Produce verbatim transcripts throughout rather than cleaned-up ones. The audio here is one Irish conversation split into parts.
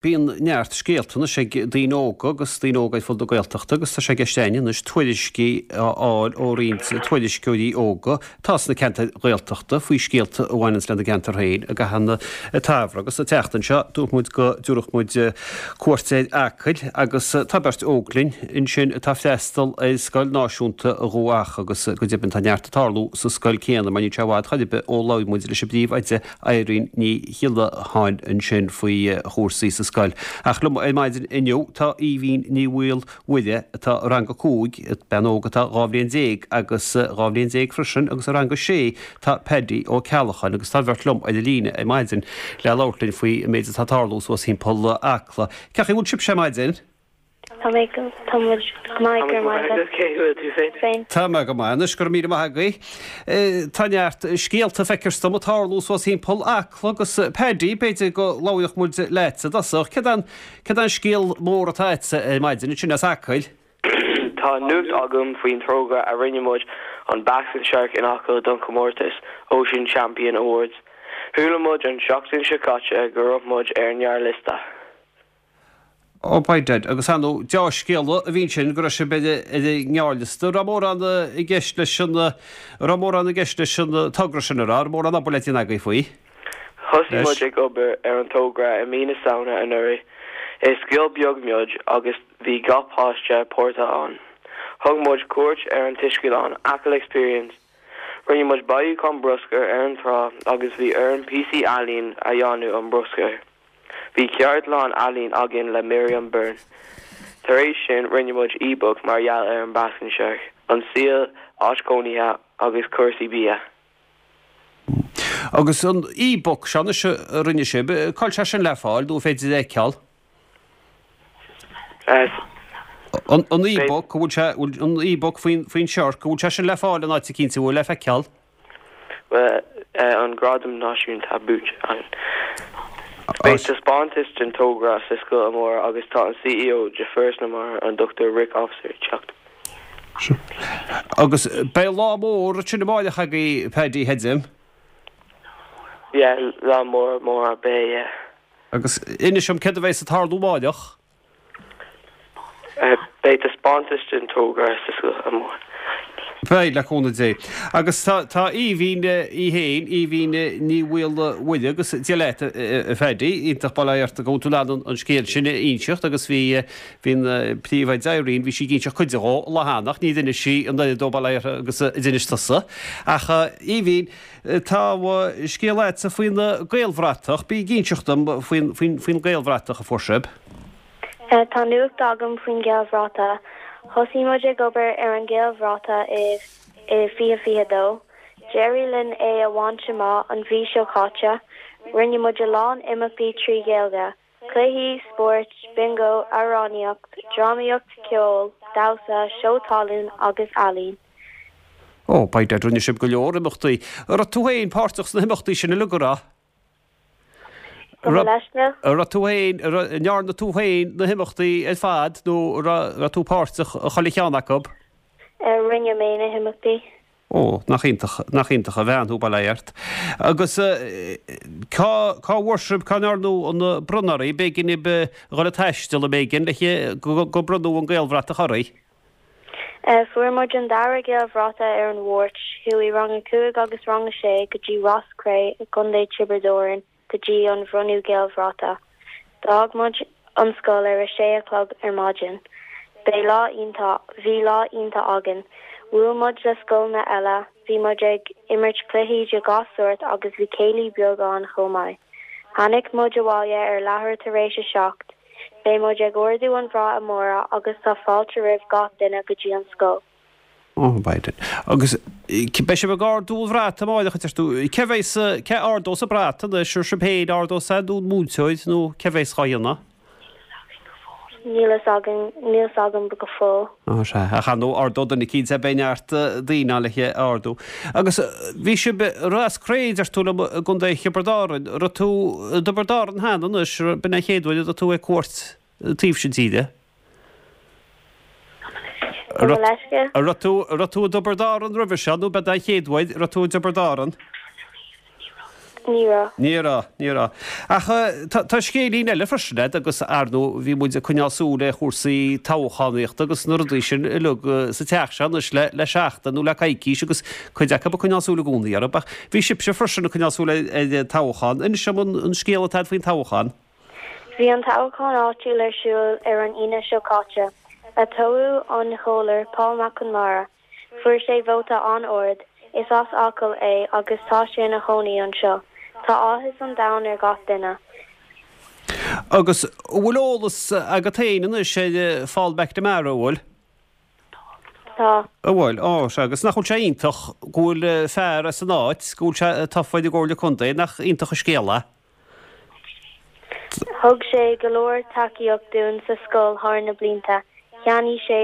Bíonn neart scéalta anois ag daoine óga agus daoine óga ar fud na Gaeltachta agus tá sé i gceist againn anois tuairiscí a fháil ó roinnt tuairisceoirí óga atá sna ceantair Ghaeltachta faoi scéalta a bhaineanns lena gceantar féin i gcaitheamh an tsamhraidh. Agus an tseachtain seo dúirt muid go dtabharfadh muid cuairt ar Acaill agus tá beirt óg linn ansin atá ag freastal ar Scoil Náisiúnta Dhumha Acha agus go deimhin tá neart ag tarlú sa scoil céanna mar níl sé i bhfad chor ar bith ó labhair muid leis an bpríomhoide Irene Ní Ghiollacháin ansin faoi chúrsaí sa scoil. Ach liom ar maidin inniu tá Aoibhín Ní Mhaolmhuire atá i rang a cúig, bean óg atá dhá bhliain déag agus dhá bhliain déag freisin agus i rang a sé tá Paddy Ó Ceallacháin agus tá an bheirt liom ar an líne ar maidin le labhairt linn faoi an méid atá ag tarlú suas thimpeall Acla. Cén chaoi a bhfuil sibhse ar maidin? Tá mé go tá muid go maith go raibh maith Cé bhfuil tú féin? féin. Tá mé go maith anois go raibh míle maith agaibh. Tá neart scéalta feictear dom ag tarlú suas thimpeall Acla agus Paddy b'fhéidir go labhródh muid leat i dtosach. Céard an céard an scéal mór atá agat ar maidin ansin as Acaill? Tá nuacht agam faoin togra a rinne muid an Basking Shark in Acaill don chomórtas Ocean Champion Awards. Chuala muid an seachtain seo caite go raibh muid ar an ngearrliosta. Ó by dad agus ar ndóigh dea-scéala a bhí ansin go raibh sibh ar ar an ngearrliosta. Raibh mórán i gceist leis an raibh mórán i gceist leis an togra sin a rá, raibh mórán obair le déanamh agaibh faoi. Thosaigh Leis. muid ag obair ar an togra i mí na Samhna anuraidh. Is scoil beag muid agus bhí gach páiste páirteach ann. Thug muid cuairt ar an taisclann Achill Experience. Rinne muid bailiúchán bruscair ar an trá agus bhí orainn píosaí ealaín a dhéanamh ón mbruscar. Bhí ceardlann ealaín againn le Miriam Byrne. Tar éis sin rinne muid e-book mar gheall ar an Basking Shark, an saol, áit chónaithe agus cúrsaí bia. Agus an e-book seo anois a rinne sibh, cá bhfuil sé sin le fáil nó féidir é a fheiceáil? An an e-book bhfuil sé bhfuil an e-book faoin faoin shark, bhfuil sé sin le fáil in áit eicínt bhfuil le feiceáil? Well, an gradam náisiúnta buaite againn. Beidh taispeántas den togra sa scoil amárach agus tá an CEO de Foras na Mara an Dr Rick Officer ag teacht. Agus beidh lá mór sin amárach agaibh Paddy Hedim. Yeah, lá mór mór beidh yeah. Agus inis dom céard a bheas ag tarlú amárach. Uh, beidh taispeántas den togra sa scoil amárach. Beidh le cúnamh Dé. Agus tá tá Aoibhín í féin, Aoibhín Ní Mhaolmhuire agus Dia leat a Phaddy, iontach bail ó Dhia ort go bhfuil tú in ann an scéal sin a inseacht agus bhí bhí an príomhoide Irene, bhí sí ag inseacht cuid de an lá cheana ach ní d'inis sí an oiread dó bail ó Dhia uirthi agus a d'inis tusa. Ach Aoibhín, tá scéal agatsa faoin Gaelbhratach, bí ag inseacht dom faoin faoin faoin Gaelbhratach a fuair sibh. Tá nuacht agam faoin Ghaelbhratach. Thosaigh muid ag obair ar an Ghaelbhratach i i fiche fiche dó. D'éirigh linn é a bhaint amach an mhí seo caite, rinne muid a lán imeachtaí trí Ghaeilge, cluichí, spóirt, bingo, amhránaíocht, drámaíocht, ceol, damhsa, seó talún agus ealaín. Ó, by dad rinne sibh go leor imeachtaí. Raibh tú féin páirteach sna himeachtaí sin uilig an raibh? Go leisce? Raibh tú féin ndearna tú féin na himeachtaí ar fad nó raibh tú páirteach i chuile cheann acu? Rinne mé na himeachtaí. Ó, nach iontach nach iontach a bhean thú bail ó Dhia ort. Agus cá cá bhfuair sibh cá ndearnadh an bronnadh oraibh, b'éigean daoibh dhul ag taisteal ab éigean le go go bronnadh an Gaelbhratach oraibh. Fuair muid an dara Gaelbhratach ar an Mháirt, chuaigh rang a cúig agus rang a sé go dtí Ros Cré i gContae Tiobraid Árann go dtí an bhronnadh Gaelbhratach. D'fhág muid an scoil ar a sé a chlog ar maidin. B'é lá iontach, bhí lá iontach againn. Bhuail muid le scoileanna eile, bhí muid ag imirt cluichí de gach sórt agus bhí céilí beag ann chomh maith. Tháinig muid abhaile ar leathuair tar éis a seacht, Beidh muid ag ardú an bhrat amárach agus tá fáilte roimh gach duine go dtí an scoil. Ó by dad. Agus beidh sibh ag ardú an bhrat amárach a deir tú, cé bheas cé ardós an brat anois ar sibh féin ardós é nó an múinteoir nó cé bheas dhá dhéanamh? Níl fhios againn níl fhios agam go fóill. Ó sea, ach ar ndóigh ardóidh duine eicínt é beidh neart daoine ann le é a ardú. Agus bhí sibh i Ros Cré deir tú liom i gContae Thiobraid Árann, raibh tú i dTiobraid Árann cheana anois, b'in é an chéad uair a raibh tú ag cuairt an taobh sin tíre? Gabh mo leithscéal? An raibh tú an raibh tú i dTiobraid Árann roimhe seo nó b'é an chéad uair a raibh tú i dTiobraid Árann? Ní raibh. Ní raibh, ní raibh. Ach tá scéilín eile freisin agat agus ar ndóigh bhí muid ag coinneáil súil ar chúrsaí toghchánaíochta agus na rudaí sin uilig sa teach seo anois le le seachtain nó le coicís agus cuid acu ag coinneáil súil i gcónaí orthu. Ach bhí sibhse freisin ag coinneáil súil ar an toghchán. Inis dom an scéal atá agat faoin toghchán. Bhí an toghchán áitiúil ar siúl ar an Aoine seo caite. Atoghadh an Comhairleoir Paul Mac Conmara. Fuair sé vóta an-ard. Is as Acaill é agus tá sé ina chónaí anseo. Tá áthas an domhain ar gach duine. Agus an bhfuil eolas agat féin anois ar Paul McNamara, an bhfuil? Tá. An bhfuil, ó sea, agus nach bhfuil sé iontach go bhfuil fear as an áit, go bhfuil sé tofa i gComhairle Contae, nach iontach an scéal é? Thug sé go leor tacaíocht dúinn sa scoil thar na blianta. Cheannaigh sé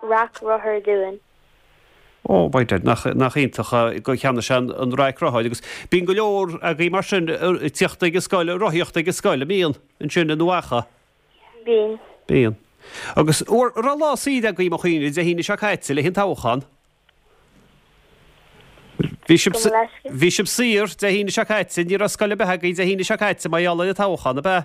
raic rothar dúinn. Ó, by dad, nach, nach iontach gur cheannaigh sé an, an raic rothair agus bíonn go leor agaibh mar sin ag tíocht ag an scoil, ag rothaíocht ag an scoil, an mbíonn, ansin i nDumha Acha? Bíonn. Bíonn. Agus an raibh lá saoire agaibh mo chuimhne Dé hAoine seo caite le haghaidh an toghchán? Bhí sibh, bhí sibh saor Dé hAoine seo caite, ní raibh scoil ar bith agaibh Dé hAoine seo caite mar gheall ar an toghchán, ab ea?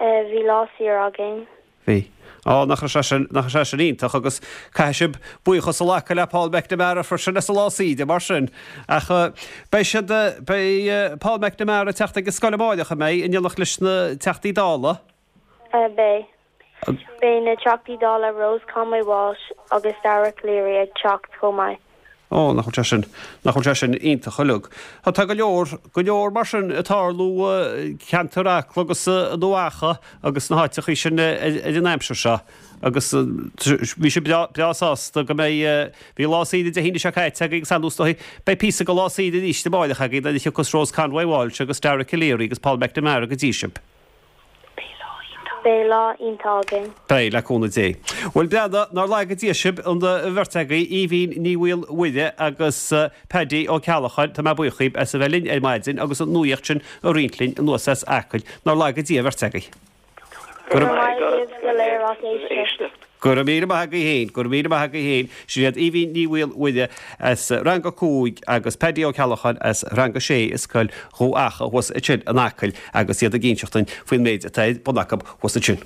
Bhí lá saor againn. Bhí. Á, nach raibh sé sin, nach raibh sé sin iontach agus caithfidh sibh buíochas a ghlacadh le Paul McNamara freisin as an lá saoire mar sin. Ach beidh siad, beidh Paul McNamara ag teacht ag an scoil amáireach, an mbeidh, in éineacht leis na Teachtaí Dála? Beidh. Beidh na Teachtaí Dála Rose Conway Walsh agus Dara Calleary ag teacht chomh maith. Ó, nach bhfuil sé sin, nach bhfuil sé sin iontach uilig. Tá go leor, go leor mar sin ag tarlú i gceantar Acla agus i nDumha Acha agus na háiteachaí sin ar an aimsir seo. Agus bhí sibh breá, breá sásta go mbeidh, bhí lá saoire Dé hAoine seo caite agaibh agus ar ndóigh beidh píosa de lá saoire arís amáireach agaibh nuair a thiocfas Rose Conway Walsh agus Dara Calleary agus Paul McNamara go dtí sibh. Beidh lá iontach againn. Beidh, le cúnamh Dé. Bhuel, breathnaigh, nár laga Dia sibh, an bheirt agaibh, Aoibhín Ní Mhaolmhuire agus Paddy Ó Ceallacháin, tá mé buíoch dhíbh as a bheith linn ar maidin agus an nuaíocht sin a roinnt linn anuas as Acaill. Nár laga Dia an bheirt agaibh. Go raibh maith agaibh go léir as éisteacht. Go raibh míle maith agaibh féin, go raibh míle maith agaibh féin. Sin iad Aoibhín Ní Mhaolmhuire as Rang a Cúig agus Paddy Ó Ceallacháin as Rang a Sé i Scoil Dhumha Acha thuas ansin in Acaill agus iad ag inseacht dúinn faoin méid atá ar bun acu thuas ansin.